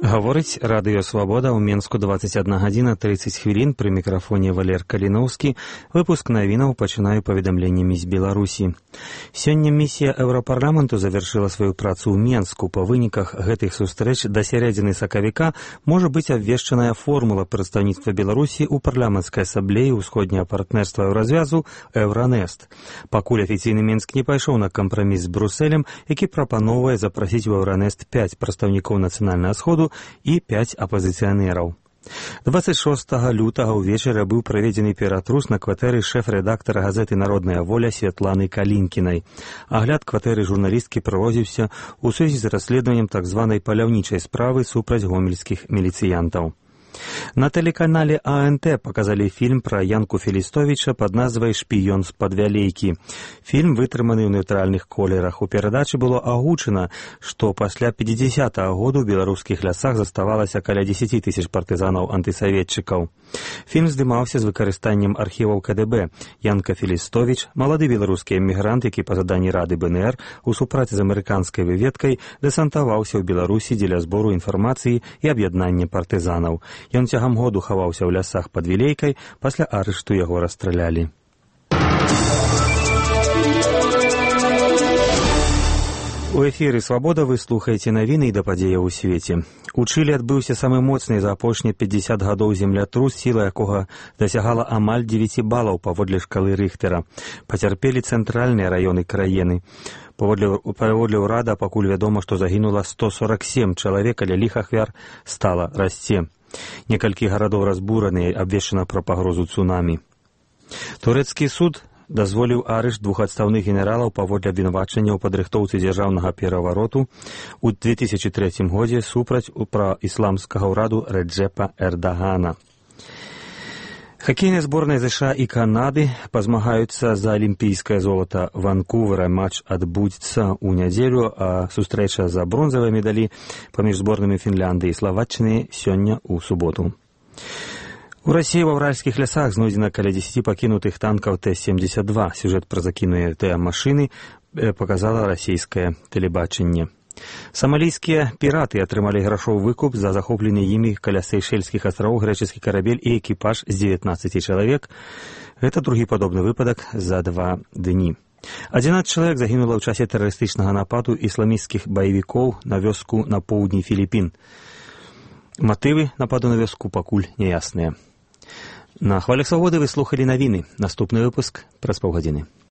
Гаворыць Радыё Свабода ў Менску 21 гадзіна 30 хвілін, пры мікрафоне Валер Каліноўскі. Выпуск навінаў пачынаю паведамленнямі з Беларусі. Сёння місія Еўрапарламенту завяршыла сваю працу ў Менску. Па выніках гэтых сустрэч да сярэдзіны сакавіка можа быць абвешчаная формула прадстаўніцтва Беларусі ў парламенцкай асамблеі ўсходняга партнерства Еўразвязу Еўранест. Пакуль афіцыйны Менск не пайшоў на кампраміс з Брусэлем, які прапаноўвае запрасіць у Еўранест 5 прадстаўнікоў нацыянальнага сходу і 5 апазіцыянераў. 26 лютага ўвечары быў праведзены ператрус на кватэры шэф-рэдактара газеты «Народная воля» Святланы Калінкінай. Агляд кватэры журналісткі праводзіўся ў сувязі з расследаваннем так званай паляўнічай справы супраць гомельскіх міліцыянтаў. На тэлеканале АНТ показалі фільм пра Янку Філістовіча пад назвай «Шпіён з-пад вялейкі». Фільм вытрыманы ў нейтральных колерах. У перадачы было агучана, што пасля 50-го году ў беларускіх лясах заставалася каля 10 тысяч партызанаў-антысаветчыкаў. Фільм здымаўся з выкарыстаннем архіваў КДБ. Янка Філістовіч, малады беларускі эмігрант, які па заданні Рады БНР у супрацы з амерыканскай выведкай дэсантаваўся ў Беларусі дзеля збору інфармацыі і аб'яднання партызанаў. Ён цягам году хаваўся ў лясах пад Вілейкай, пасля арышту яго расстралялі. У эфіры «Свабода» вы слухаеце навіны і да падзеяў у свеце. У Чылі адбыўся самы моцны за апошнія 50 гадоў землятрус, сіла якога дасягала амаль 9 балаў паводле шкалы Рыхтера. Пацярпелі цэнтральныя раёны краіны. Паводле ўрада пакуль вядома, што загінула 147 чалавек, але лік ахвяр стала расце. Некалькі гарадоў разбураныя, абвешчана пра пагрозу цунамі. Турэцкі суд дазволіў арышт 2 адстаўных генералаў паводле абвінавачання ў падрыхтоўцы дзяржаўнага перавароту ў 2003 годзе супраць праісламскага ўраду Рэджэпа Эрдагана. Хакейныя зборныя ЗША і Канады пазмагаюцца за алімпійскае золата Ванкувера. Матч адбудзецца ў нядзелю, а сустрэча за бронзавыя медалі паміж зборнымі Фінляндыі і Славаччыны сёння ў суботу. У Расіі ва ўральскіх лясах знойдзена каля 10 пакінутых танкаў Т-72. Сюжэт пра закінутыя машыны паказала расійскае тэлебачанне. Самалійскія піраты атрымалі грашовы выкуп за захоплены імі каля Сейшэльскіх астравоў грэчаскі карабель і экіпаж з 19 чалавек. Гэта другі падобны выпадак за 2 дні. 11 чалавек загінула ў часе тэрарыстычнага нападу ісламісцкіх баевікоў на вёску на поўдні Філіпін. Матывы нападу на вёску пакуль няясныя. На хвалях Свабоды вы слухалі навіны. Наступны выпуск праз паўгадзіны.